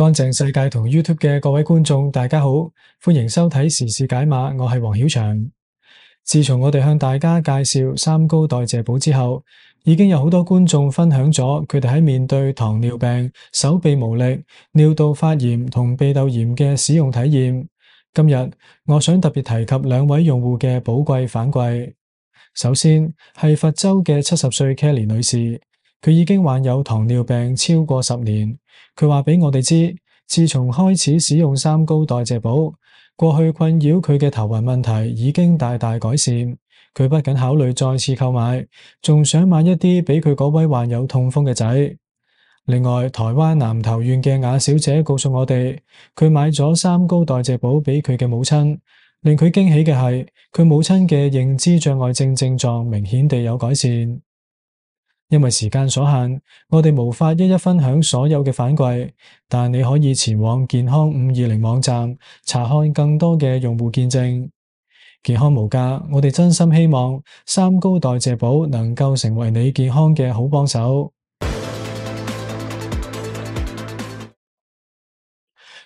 乾淨世界同 YouTube 嘅各位觀眾，大家好，歡迎收睇時事解碼，我係黃曉翔。自從我哋向大家介紹三高代謝寶之後，已經有好多觀眾分享咗佢哋喺面對糖尿病、手臂無力、尿道發炎同鼻竇炎嘅使用體驗。今日我想特別提及兩位用戶嘅寶貴反饋。首先係佛州嘅70歲 Kelly 女士。佢已經患有糖尿病超過10年，佢話俾我哋知，自從開始使用三高代謝寶，過去困擾佢嘅頭暈問題已經大大改善。佢不僅考慮再次購買，仲想買一啲俾佢嗰位患有痛風嘅仔。另外，台灣南投縣嘅雅小姐告訴我哋，佢買咗三高代謝寶俾佢嘅母親，令佢驚喜嘅係，佢母親嘅認知障礙症症狀明顯地有改善。因為時間所限，我哋無法一一分享所有嘅反饋，但你可以前往健康520網站查看更多嘅用戶見證。健康無價，我哋真心希望三高代謝寶能夠成為你健康嘅好幫手。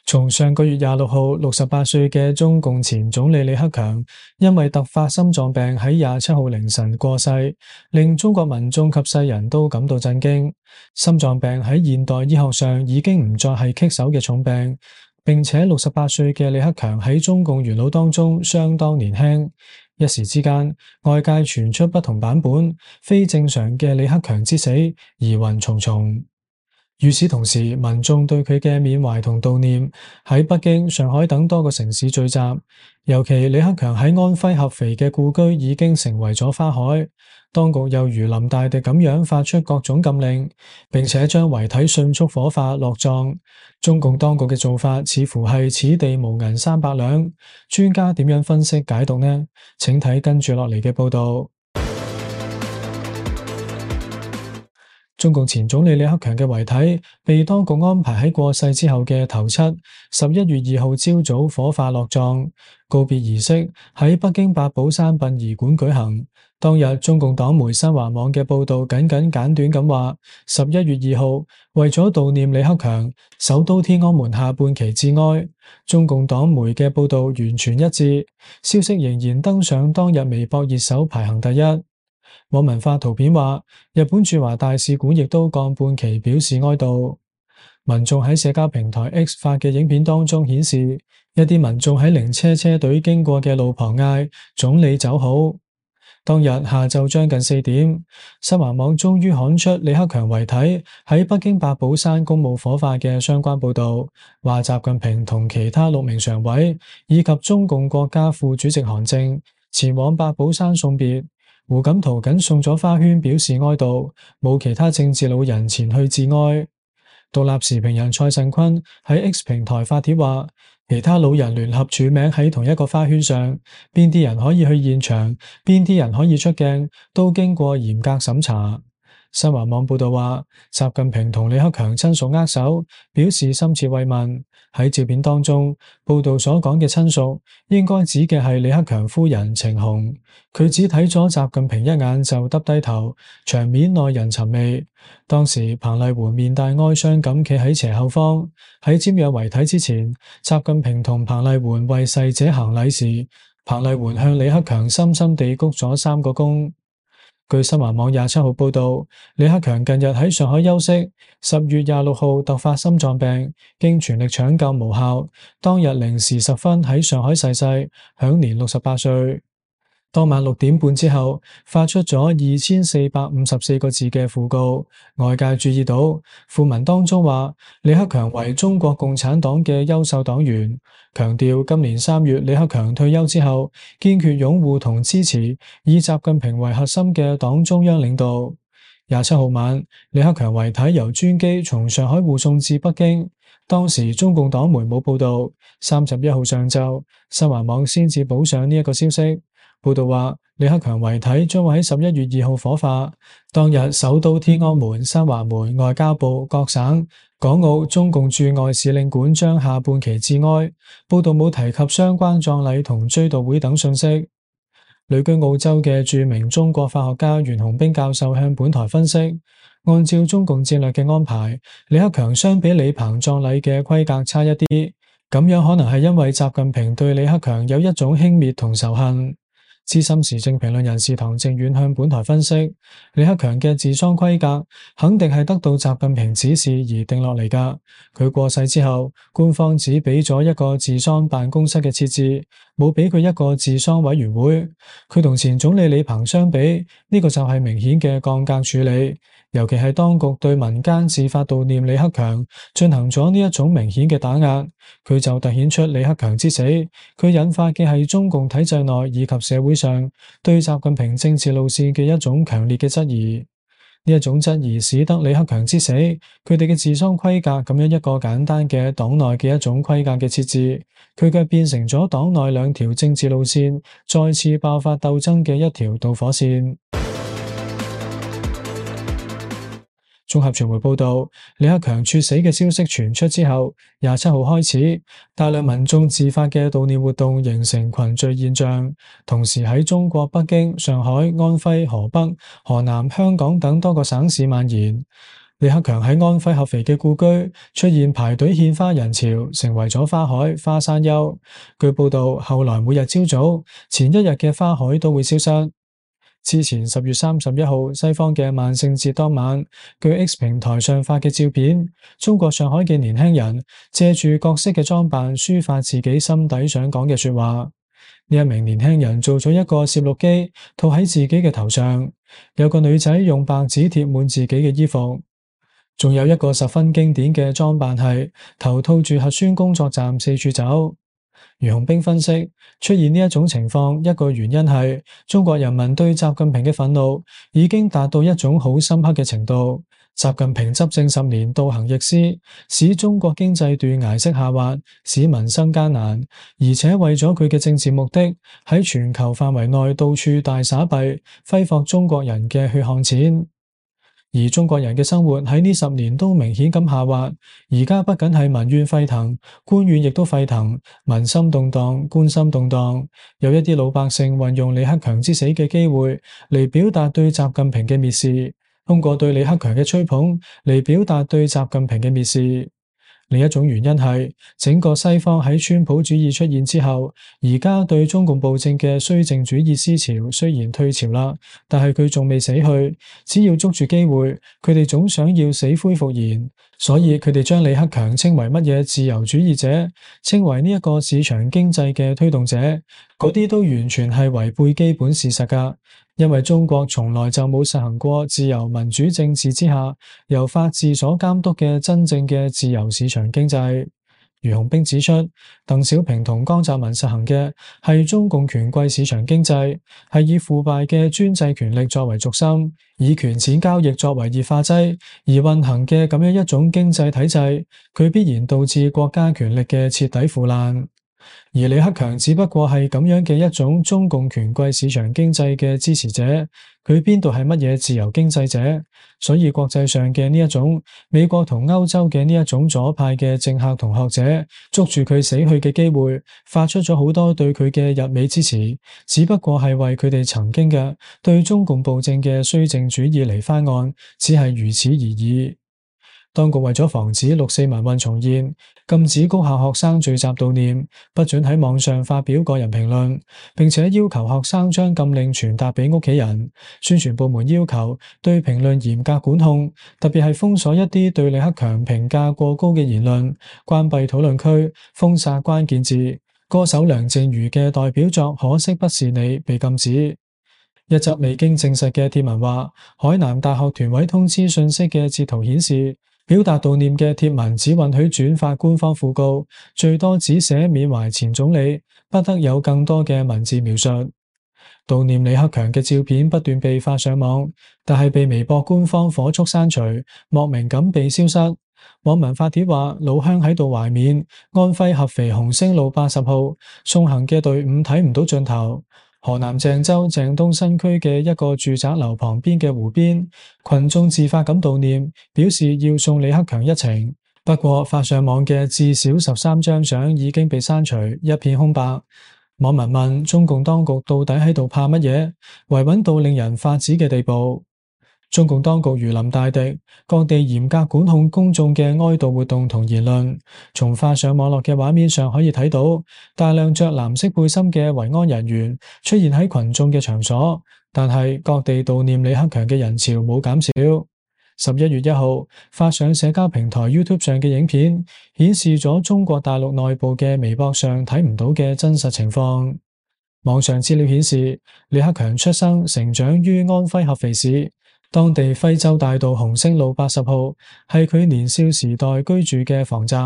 從上個月26號，68歲嘅中共前總理李克強因為突發心臟病喺27號凌晨過世，令中國民眾及世人都感到震驚。心臟病喺現代醫學上已經唔再係棘手嘅重病，並且68歲嘅李克強喺中共元老當中相當年輕。一時之間，外界傳出不同版本，非正常嘅李克強之死疑雲重重。與此同時，民眾對佢嘅緬懷同悼念喺北京、上海等多個城市聚集。尤其李克強喺安徽合肥嘅故居已經成為咗花海，當局又如臨大敵咁樣發出各種禁令，並且將遺體迅速火化落葬。中共當局嘅做法似乎係此地無銀300兩。專家點樣分析解讀呢？請睇跟住落嚟嘅報道。中共前總理李克強嘅遺體被當局安排喺過世之後嘅頭七11月2號朝早火化落葬，告別儀式喺北京八寶山殯儀館舉行。當日中共黨媒新華網嘅報道簡短咁話，11月2號為咗悼念李克強，首都天安門下半旗致哀。中共黨媒嘅報道完全一致，消息仍然登上當日微博熱搜排行第一。網民發圖片話，日本駐華大使館亦都降半旗表示哀悼。民眾喺社交平台 X 發嘅影片當中顯示，一啲民眾喺靈車車隊經過嘅路旁嗌總理走好。當日下晝將近4點，新華網終於刊出李克強遺體喺北京八寶山公墓火化嘅相關報道，話習近平同其他6名常委以及中共國家副主席韓正前往八寶山送別。胡錦濤僅送咗花圈表示哀悼，冇其他政治老人前去致哀。獨立時評人蔡慎坤喺 X 平台發帖話，其他老人聯合署名喺同一個花圈上，邊啲人可以去現場，邊啲人可以出鏡，都經過嚴格審查。新華網報道話，習近平同李克強親屬握手，表示深切慰問。喺照片當中，報道所講嘅親屬應該指嘅係李克強夫人程紅，佢只睇咗習近平一眼就耷低頭，場面耐人尋味。當時彭麗媛面帶哀傷咁企喺斜後方，喺瞻仰遺體之前，習近平同彭麗媛為逝者行禮時，彭麗媛向李克強深深地鞠咗3個躬。據新華網27號報道，李克強近日喺上海休息，10月26號突發心臟病，經全力搶救無效，當日0時10分喺上海逝世，享年68歲。當晚6點半之後，發出咗2454個字嘅訃告，外界注意到訃文當中話，李克強為中國共產黨嘅優秀黨員，強調今年3月李克強退休之後，堅決擁護同支持以習近平為核心嘅黨中央領導。27號晚，李克強遺體由專機從上海護送至北京，當時中共黨媒冇報道，31號上晝，新華網先至補上呢一個消息。報道話，李克強遺體將會喺11月2號火化。當日，首都天安門、新華門、外交部、各省、港澳中共駐外使領館將下半旗致哀。報道冇提及相關葬禮同追悼會等信息。旅居澳洲嘅著名中國法學家袁洪兵教授向本台分析，按照中共戰略嘅安排，李克強相比李鵬葬禮嘅規格差一啲，咁樣可能係因為習近平對李克強有一種輕蔑同仇恨。資深時政評論人士唐靖遠向本台分析，李克強嘅治喪規格肯定係得到習近平指示而定落嚟㗎。佢過世之後，官方只俾咗一個治喪辦公室嘅設置，冇俾佢一個治喪委員會。佢同前總理李鵬相比，呢個就係明顯嘅降格處理。尤其係當局對民間自發悼念李克強進行咗呢一種明顯嘅打壓，佢就凸顯出李克強之死，佢引發嘅係中共體制內以及社會上對習近平政治路線嘅一種強烈嘅質疑。呢一種質疑使得李克強之死，佢哋嘅治喪規格咁樣一個簡單嘅黨內嘅一種規格嘅設置，佢卻變成咗黨內兩條政治路線再次爆發鬥爭嘅一條導火線。綜合傳媒報道，李克強猝死嘅消息傳出之後，27號開始，大量民眾自發嘅悼念活動形成群聚現象，同時喺中國北京、上海、安徽、河北、河南、香港等多個省市蔓延。李克強喺安徽合肥嘅故居出現排隊獻花人潮，成為咗花海、花山丘。據報道，後來每日朝早、前一日嘅花海都會消失。之前10月31號，西方嘅萬聖節當晚，據 X 平台上發嘅照片，中國上海嘅年輕人借住各式嘅裝扮，抒發自己心底想講嘅說話。呢一名年輕人做咗一個攝錄機，套喺自己嘅頭上，有個女仔用白紙貼滿自己嘅衣服，仲有一個十分經典嘅裝扮係頭套住核酸工作站四處走。俞鴻斌分析，出現呢一種情況，一個原因係中國人民對習近平嘅憤怒已經達到一種好深刻嘅程度。習近平執政10年，倒行逆施，使中國經濟斷崖式下滑，使民生艱難，而且為咗佢嘅政治目的，喺全球範圍內到處大撒幣，揮霍中國人嘅血汗錢。而中國人嘅生活喺呢10年都明顯咁下滑，而家不僅係民怨沸騰，官怨亦都沸騰，民心動盪，官心動盪。有一啲老百姓運用李克強之死嘅機會嚟表達對習近平嘅蔑視，通過對李克強嘅吹捧嚟表達對習近平嘅蔑視。另一種原因係整個西方喺川普主義出現之後，而家對中共暴政嘅綏靖主義思潮雖然退潮啦，但係佢仲未死去。只要捉住機會，佢哋總想要死灰復燃，所以佢哋將李克強稱為乜嘢自由主義者，稱為呢一個市場經濟嘅推動者，嗰啲都完全係違背基本事實㗎。因為中國從來就冇實行過自由民主政治之下由法治所監督嘅真正嘅自由市場經濟。俞鴻斌指出，鄧小平同江澤民實行嘅係中共權貴市場經濟，係以腐敗嘅專制權力作為軸心，以權錢交易作為熱化劑而運行嘅咁樣一種經濟體制，佢必然導致國家權力嘅徹底腐爛。而李克強只不過係咁樣嘅一種中共權貴市場經濟嘅支持者，佢邊度係乜嘢自由經濟者？所以國際上嘅呢一種美國同歐洲嘅呢一種左派嘅政客同學者，捉住佢死去嘅機會，發出咗好多對佢嘅日美支持，只不過係為佢哋曾經嘅對中共暴政嘅綏靖主義嚟翻案，只係如此而已。當局為咗防止6·4民運重現，禁止高校學生聚集悼念，不准喺網上發表個人評論，並且要求學生將禁令傳達俾屋企人。宣傳部門要求對評論嚴格管控，特別係封鎖一啲對李克強評價過高嘅言論，關閉討論區，封殺關鍵字。歌手梁靜茹嘅代表作《可惜不是你》被禁止。一則未經證實嘅貼文話，海南大學團委通知信息嘅截圖顯示，表達悼念嘅貼文只允許轉發官方訃告，最多只寫緬懷前總理，不得有更多嘅文字描述。悼念李克強嘅照片不斷被發上網，但係被微博官方火速刪除，莫名咁被消失。網民發帖話，老鄉喺度懷緬安徽合肥紅星路80號送行嘅隊伍睇唔到盡頭。河南鄭州鄭東新區嘅一個住宅樓旁邊嘅湖邊，群眾自發咁悼念，表示要送李克強一程。不過發上網嘅至少13張相已經被刪除，一片空白。網民問中共當局到底喺度怕乜嘢，維穩到令人髮指嘅地步。中共當局如臨大敵，各地嚴格管控公眾嘅哀悼活動同言論。從發上網絡嘅畫面上可以睇到，大量着藍色背心嘅維安人員出現喺群眾嘅場所，但係各地悼念李克強嘅人潮冇減少。11月1號，發上社交平台 YouTube 上嘅影片，顯示咗中國大陸內部嘅微博上睇唔到嘅真實情況。網上資料顯示，李克強出生成長於安徽合肥市，當地徽州大道紅星路80號係佢年少時代居住嘅房宅。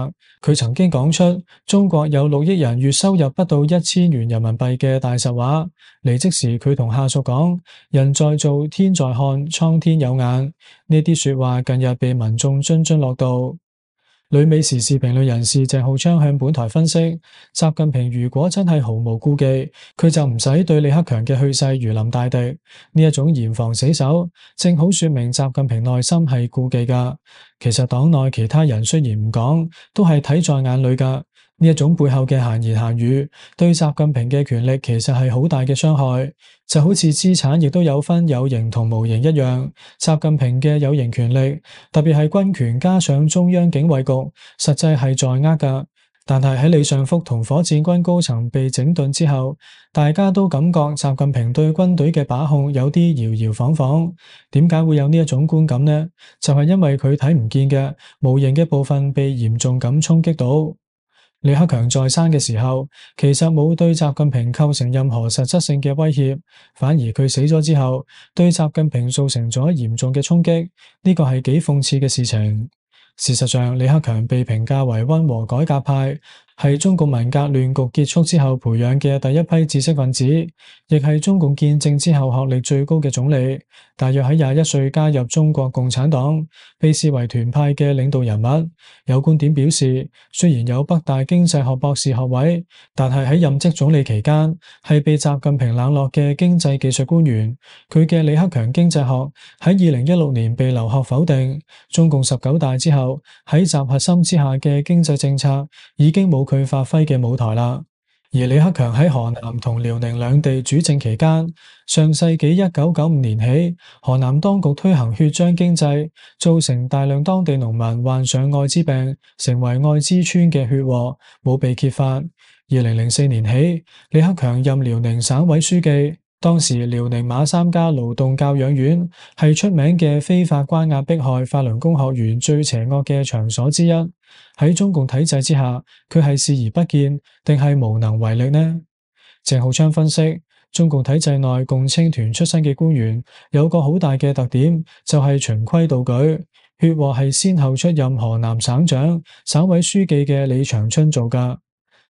佢曾經講出中國有6億人月收入不到1000元人民幣嘅大實話。離職時佢同下屬講：人在做，天在看，蒼天有眼。呢啲說話近日被民眾津津樂道。旅美時事評論人士鄭浩昌向本台分析，習近平如果真係毫無顧忌，佢就唔使對李克強嘅去世如臨大敵。呢一種嚴防死守，正好說明習近平內心係顧忌噶。其實黨內其他人雖然唔講，都係睇在眼裏噶。呢一種背後嘅閒言閒語，對習近平嘅權力其實係好大嘅傷害，就好似資產亦都有分有形同無形一樣。習近平嘅有形權力，特別係軍權加上中央警衛局，實際係在握噶。但係喺李尚福同火箭軍高層被整頓之後，大家都感覺習近平對軍隊嘅把控有啲搖搖晃晃。點解會有呢一種觀感呢？就係因為佢睇唔見嘅無形嘅部分被嚴重咁衝擊到。李克強在生嘅時候，其實冇對習近平構成任何實質性嘅威脅，反而佢死咗之後，對習近平造成咗嚴重嘅衝擊，呢個係幾諷刺嘅事情。事實上，李克強被評價為溫和改革派，係中共文革亂局結束之後培養嘅第一批知識分子，亦係中共建政之後學歷最高嘅總理。大約喺21歲加入中國共產黨，被視為團派嘅領導人物。有觀點表示，雖然有北大經濟學博士學位，但係喺任職總理期間係被習近平冷落嘅經濟技術官員。佢嘅李克強經濟學喺2016年被留學否定。中共19大之後，喺習核心之下嘅經濟政策已經冇佢發揮嘅舞台啦。而李克強喺河南同遼寧兩地主政期間，上世紀1995年起，河南當局推行血漿經濟，造成大量當地農民患上艾滋病，成為艾滋村嘅血禍，冇被揭發。2004年起，李克強任遼寧省委書記。當時遼寧馬三家勞動教養院係出名嘅非法關押迫害法輪功學員最邪惡嘅場所之一。喺中共體制之下，佢係視而不見，定係無能為力呢？鄭浩昌分析，中共體制內共青團出身嘅官員有個好大嘅特點，就係循規蹈矩。血禍係先後出任河南省長、省委書記嘅李長春做㗎。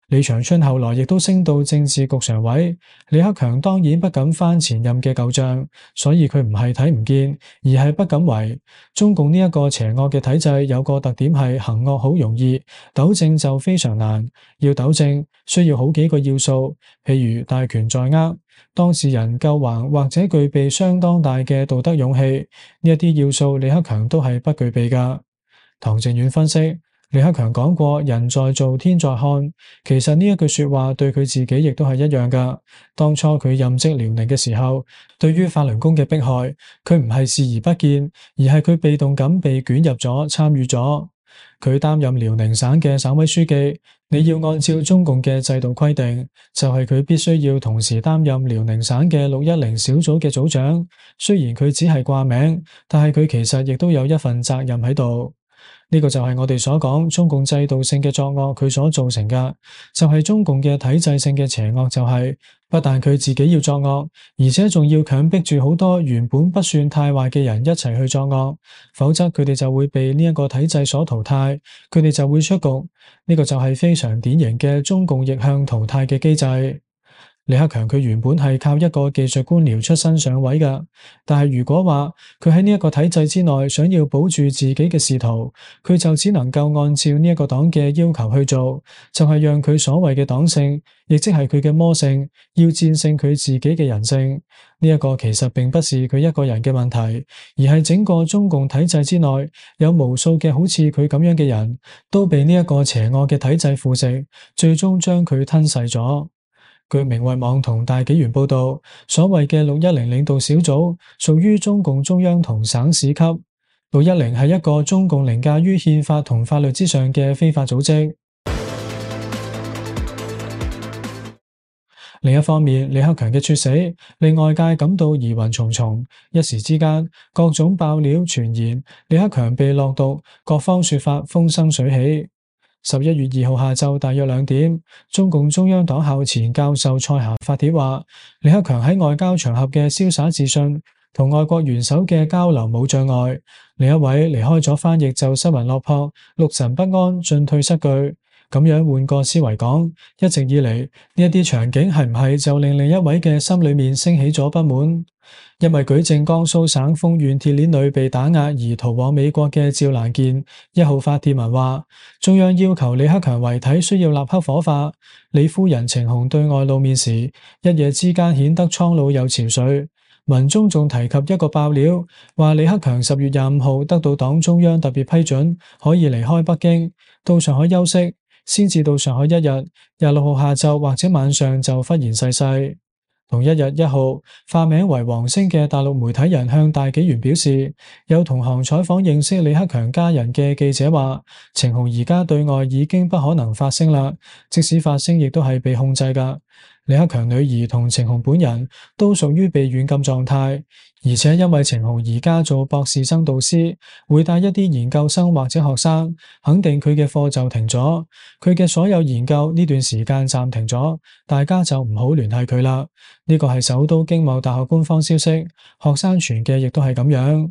李長春後來亦都升到政治局常委，李克強當然不敢翻前任嘅舊賬，所以佢唔係睇唔見，而係不敢為。中共呢一個邪惡嘅體制有個特點係行惡好容易，糾正就非常難。要糾正需要好幾個要素，譬如大權在握，當事人夠橫或者具備相當大嘅道德勇氣，呢一啲要素李克強都係不具備㗎。唐靖遠分析，李克強講過人在做天在看，其實呢一句說話對佢自己亦都係一樣噶。當初佢任職遼寧嘅時候，對於法輪功嘅迫害，佢唔係視而不見，而係佢被動咁被捲入咗，參與咗。佢擔任遼寧省嘅省委書記，你要按照中共嘅制度規定，就係佢必須要同時擔任遼寧省嘅610小組嘅組長。雖然佢只係掛名，但係佢其實亦都有一份責任喺度。呢個就係我哋所講中共制度性嘅作惡，佢所造成嘅就係中共嘅體制性嘅邪惡，就係不但佢自己要作惡，而且仲要強迫住好多原本不算太壞嘅人一齊去作惡，否則佢哋就會被呢一個體制所淘汰，佢哋就會出局。呢個就係非常典型嘅中共逆向淘汰嘅機制。李克強佢原本係靠一個技術官僚出身上位㗎，但係如果話佢喺呢一個體制之內想要保住自己嘅仕途，佢就只能夠按照呢一個黨嘅要求去做，就係讓佢所謂嘅黨性，亦即係佢嘅魔性，要戰勝佢自己嘅人性。呢一個其實並不是佢一個人嘅問題，而係整個中共體制之內有無數嘅好似佢咁樣嘅人，都被呢一個邪惡嘅體制腐蝕，最終將佢吞噬咗。據明慧網同大紀元報道，所謂嘅610領導小組屬於中共中央同省市級。610係一個中共凌駕於憲法同法律之上嘅非法組織。另一方面，李克強嘅猝死令外界感到疑雲重重，一時之間各種爆料傳言李克強被落毒，各方說法風生水起。11月2號下晝大約2點，中共中央黨校前教授蔡霞發帖話，李克強喺外交場合嘅瀟灑自信同外國元首嘅交流冇障礙。另一位離開咗翻譯就失魂落魄、六神不安、進退失據。咁樣換個思維講，一直以嚟呢一啲場景係唔係就令另一位嘅心裏面升起咗不滿？因為舉證江蘇省豐縣鐵鏈女被打壓而逃往美國嘅趙蘭健1號發帖文話，中央要求李克強遺體需要立刻火化。李夫人程虹對外露面時，一夜之間顯得蒼老又憔悴。文中仲提及一個爆料，話李克強10月25號得到黨中央特別批准，可以離開北京，到上海休息。先至到上海1日，26號下晝或者晚上就忽然逝世。同一日1號，化名為黃星嘅大陸媒體人向大紀元表示，有同行採訪認識李克強家人嘅記者話，程虹而家對外已經不可能發聲啦，即使發聲亦都係被控制㗎。李克強女兒同程虹本人都屬於被軟禁狀態，而且因為程虹而家做博士生導師，會帶一啲研究生或者學生，肯定佢嘅課就停咗，佢嘅所有研究呢段時間暫停咗，大家就唔好聯繫佢啦。呢個係首都經貿大學官方消息，學生傳嘅亦都係咁樣。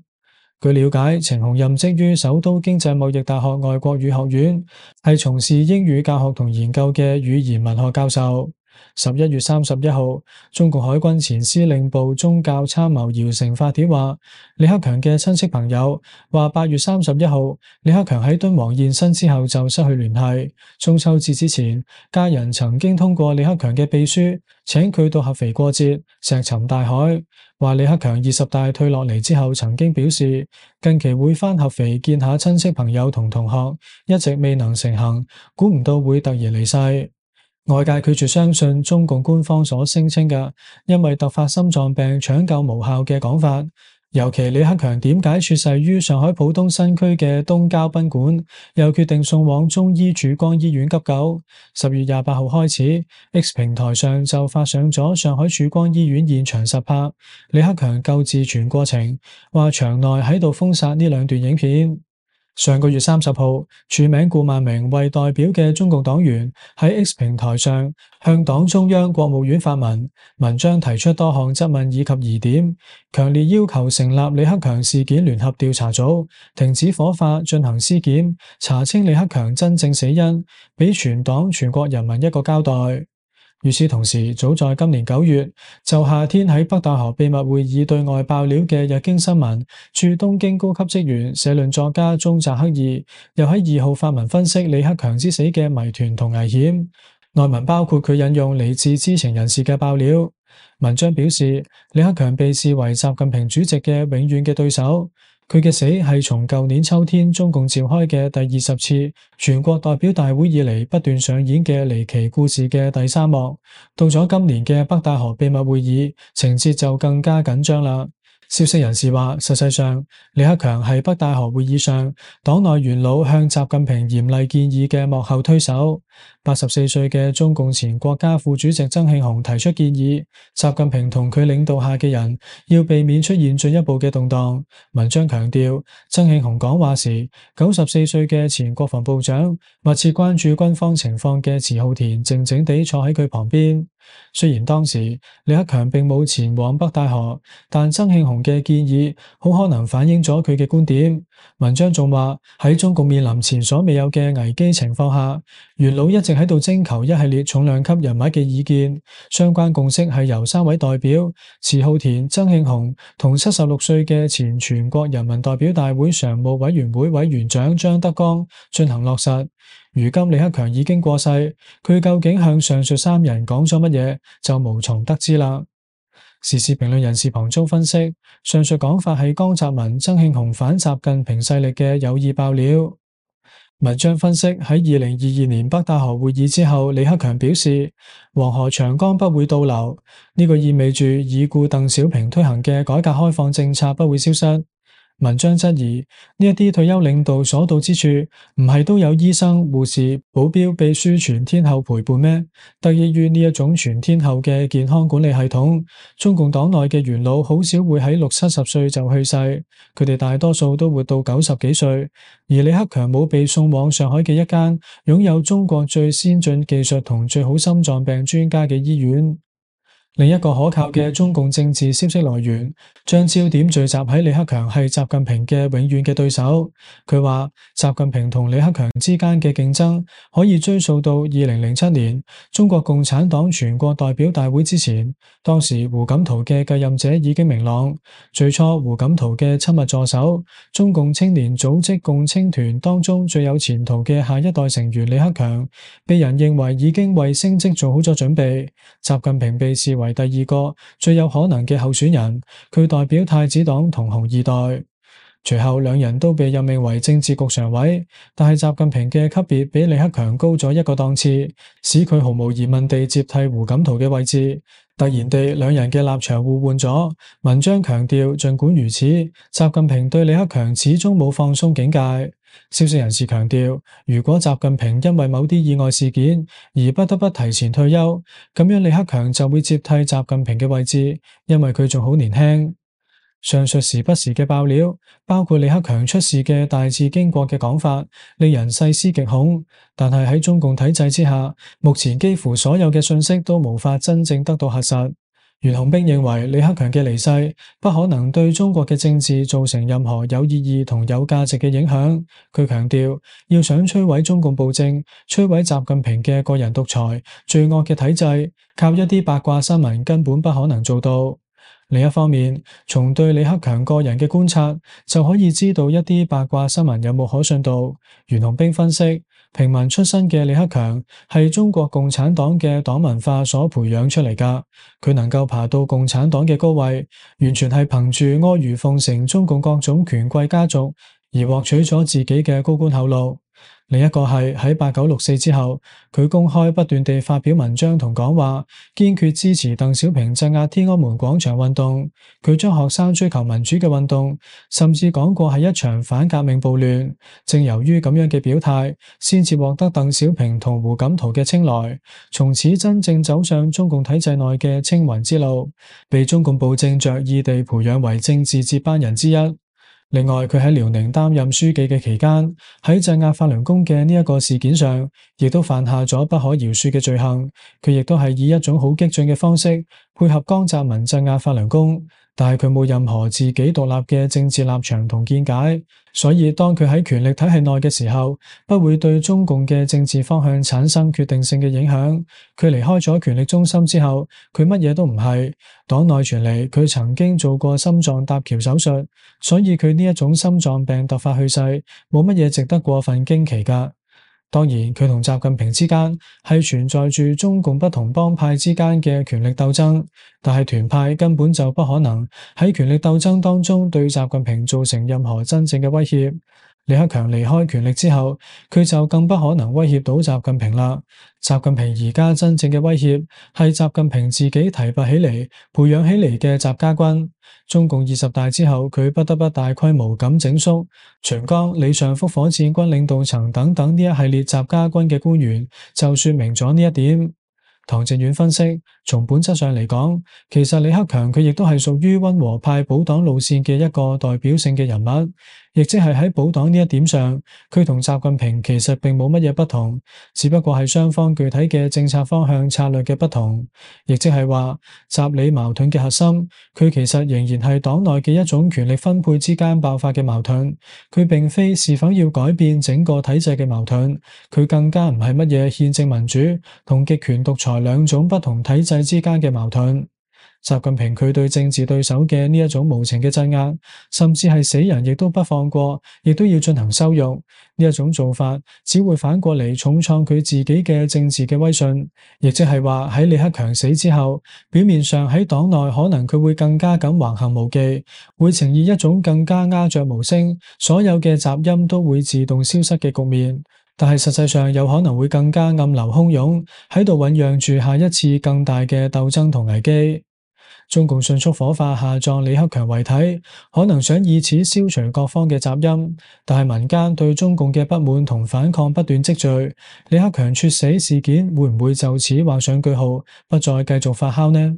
據了解，程虹任職於首都經濟貿易大學外國語學院，係從事英語教學同研究嘅語言文學教授。11月31號，中共海軍前司令部宗教參謀姚成發帖話，李克強嘅親戚朋友話8月31號，李克強喺敦煌現身之後就失去聯繫。中秋節之前，家人曾經通過李克強嘅秘書請佢到合肥過節，石沉大海。話李克強20大退落嚟之後，曾經表示近期會返合肥見下親戚朋友同同學，一直未能成行，估唔到會突然離世。外界拒絕相信中共官方所聲稱嘅因為突發心臟病搶救無效嘅講法，尤其李克強點解猝逝於上海浦東新區嘅東郊賓館，又決定送往中醫曙光醫院急救。10月28號開始，X 平台上就發上咗上海曙光醫院現場實拍李克強救治全過程，話場內喺度封殺呢兩段影片。上個月30號，署名顧萬明為代表嘅中共黨員喺 X 平台上向黨中央國務院發文，文章提出多項質問以及疑點，強烈要求成立李克強事件聯合調查組，停止火化，進行屍檢，查清李克強真正死因，俾全黨全國人民一個交代。與此同時，早在今年9月，就夏天喺北戴河秘密會議對外爆料嘅日經新聞駐東京高級職員社論作家中澤克二，又喺2號發文分析李克強之死嘅謎團同危險。內文包括佢引用嚟自知情人士嘅爆料。文章表示，李克強被視為習近平主席嘅永遠嘅對手。佢嘅死係從舊年秋天中共召開嘅第20次全國代表大會以嚟不斷上演嘅離奇故事嘅第3幕，到咗今年嘅北戴河秘密會議，情節就更加緊張啦。消息人士話，實際上李克強係北戴河會議上黨內元老向習近平嚴厲建議嘅幕後推手。84歲嘅中共前國家副主席曾慶紅提出建議，習近平同佢領導下嘅人要避免出現進一步嘅動盪。文章強調，曾慶紅講話時，94歲嘅前國防部長密切關注軍方情況嘅遲浩田靜靜地坐喺佢旁邊。雖然當時李克強並冇前往北戴河，但曾慶紅嘅建議好可能反映咗佢嘅觀點。文章仲話，喺中共面臨前所未有嘅危機情況下，元老一直喺度徵求一系列重量級人物嘅意見，相關共識係由3位代表遲浩田、曾慶紅同76歲嘅前全國人民代表大會常務委員會委員長張德江進行落實。如今李克強已經過世，佢究竟向上述3人講咗乜嘢，就無從得知啦。時事評論人士龐中分析，上述講法係江澤民、曾慶紅反習近平勢力嘅有意爆料。文章分析喺2022年北戴河會議之後，李克強表示黃河長江不會倒流，呢個意味住已故鄧小平推行嘅改革開放政策不會消失。文章質疑呢一啲退休領導所到之處，唔係都有醫生、護士、保鏢、秘書全天候陪伴咩？得益於呢一種全天候嘅健康管理系統，中共黨內嘅元老好少會喺60-70歲就去世，佢哋大多數都活到90幾歲。而李克強冇被送往上海嘅一間擁有中國最先進技術同最好心臟病專家嘅醫院。另一個可靠嘅中共政治消息來源，將焦點聚集喺李克強係習近平嘅永遠嘅對手。佢話習近平同李克強之間嘅競爭可以追溯到2007年中國共產黨全國代表大會之前，當時胡錦濤嘅繼任者已經明朗。最初胡錦濤嘅親密助手，中共青年組織共青團當中最有前途嘅下一代成員李克強，被人認為已經為升職做好咗準備。習近平被視為第二個最有可能嘅候選人，佢代表太子黨同紅二代。隨後兩人都被任命為政治局常委，但係習近平嘅級別比李克強高咗一個檔次，使佢毫無疑問地接替胡錦濤嘅位置。突然地，兩人嘅立場互換咗。文章強調，儘管如此，習近平對李克強始終冇放鬆警戒。消息人士強調，如果習近平因為某啲意外事件而不得不提前退休，咁樣李克強就會接替習近平嘅位置，因為佢仲好年輕。上述時不時嘅爆料，包括李克強出事嘅大致經過嘅講法，令人細思極恐。但係喺中共體制之下，目前幾乎所有嘅信息都無法真正得到核實。袁洪兵認為李克強嘅離世不可能對中國嘅政治造成任何有意義同有價值嘅影響。佢強調，要想摧毀中共暴政、摧毀習近平嘅個人獨裁、罪惡嘅體制，靠一啲八卦新聞根本不可能做到。另一方面，從對李克強個人嘅觀察，就可以知道一啲八卦新聞有冇可信度。袁洪兵分析，平民出身嘅李克強係中國共產黨嘅黨文化所培養出嚟㗎，佢能夠爬到共產黨嘅高位，完全係憑住阿諛奉承中共各種權貴家族而獲取咗自己嘅高官厚祿。另一個係喺8964之後，佢公開不斷地發表文章同講話，堅決支持鄧小平鎮壓天安門廣場運動。佢將學生追求民主嘅運動，甚至講過係一場反革命暴亂。正由於咁樣嘅表態，先至獲得鄧小平同胡錦濤嘅青睞，從此真正走上中共體制內嘅青雲之路，被中共暴政着意地培養為政治接班人之一。另外，佢喺遼寧擔任書記嘅期間，喺鎮壓法輪功嘅呢一個事件上，亦都犯下咗不可饒恕嘅罪行。佢亦都係以一種好激進嘅方式配合江澤民鎮壓法輪功，但係佢冇任何自己獨立嘅政治立場同見解，所以當佢喺權力體系內嘅時候，不會對中共嘅政治方向產生決定性嘅影響。佢離開咗權力中心之後，佢乜嘢都唔係。黨內傳嚟佢曾經做過心臟搭橋手術，所以佢呢一種心臟病突發去世，冇乜嘢值得過分驚奇㗎。當然，佢同習近平之間係存在住中共不同幫派之間嘅權力鬥爭，但係團派根本就不可能喺權力鬥爭當中對習近平造成任何真正嘅威脅。李克強離開權力之後，佢就更不可能威脅到習近平啦。習近平而家真正嘅威脅係習近平自己提拔起嚟、培養起嚟嘅習家軍。中共20大之後，佢不得不大規模咁整肅秦剛、李尚福火箭軍領導層等等呢一系列習家軍嘅官員，就說明咗呢一點。唐靖遠分析，從本質上嚟講，其實李克強佢亦都係屬於溫和派保黨路線嘅一個代表性嘅人物，亦即係喺保黨呢一點上，佢同習近平其實並冇乜嘢不同，只不過係雙方具體嘅政策方向策略嘅不同，亦即係話習李矛盾嘅核心，佢其實仍然係黨內嘅一種權力分配之間爆發嘅矛盾，佢並非是否要改變整個體制嘅矛盾，佢更加唔係乜嘢憲政民主同極權獨裁兩種不同體制之間嘅矛盾。習近平佢對政治對手嘅呢一種無情嘅鎮壓，甚至係死人亦都不放過，亦都要進行羞辱。呢一種做法只會反過嚟重創佢自己嘅政治嘅威信，亦即係話喺李克強死之後，表面上喺黨內可能佢會更加咁橫行無忌，會呈現一種更加鴉雀無聲，所有嘅雜音都會自動消失嘅局面。但係實際上有可能會更加暗流洶湧，喺度醞釀住下一次更大嘅鬥爭同危機。中共迅速火化下葬李克強遺體，可能想以此消除各方嘅雜音，但係民間對中共嘅不滿同反抗不斷積聚，李克強猝死事件會唔會就此畫上句號，不再繼續發酵呢？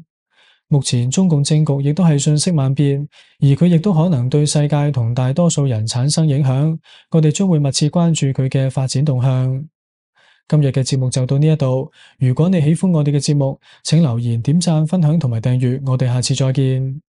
目前中共政局亦都係瞬息萬變，而佢亦都可能對世界同大多數人產生影響，我哋將會密切關注佢嘅發展動向。今日嘅節目就到呢一度，如果你喜歡我哋嘅節目，請留言、點讚、分享同埋訂閱，我哋下次再見。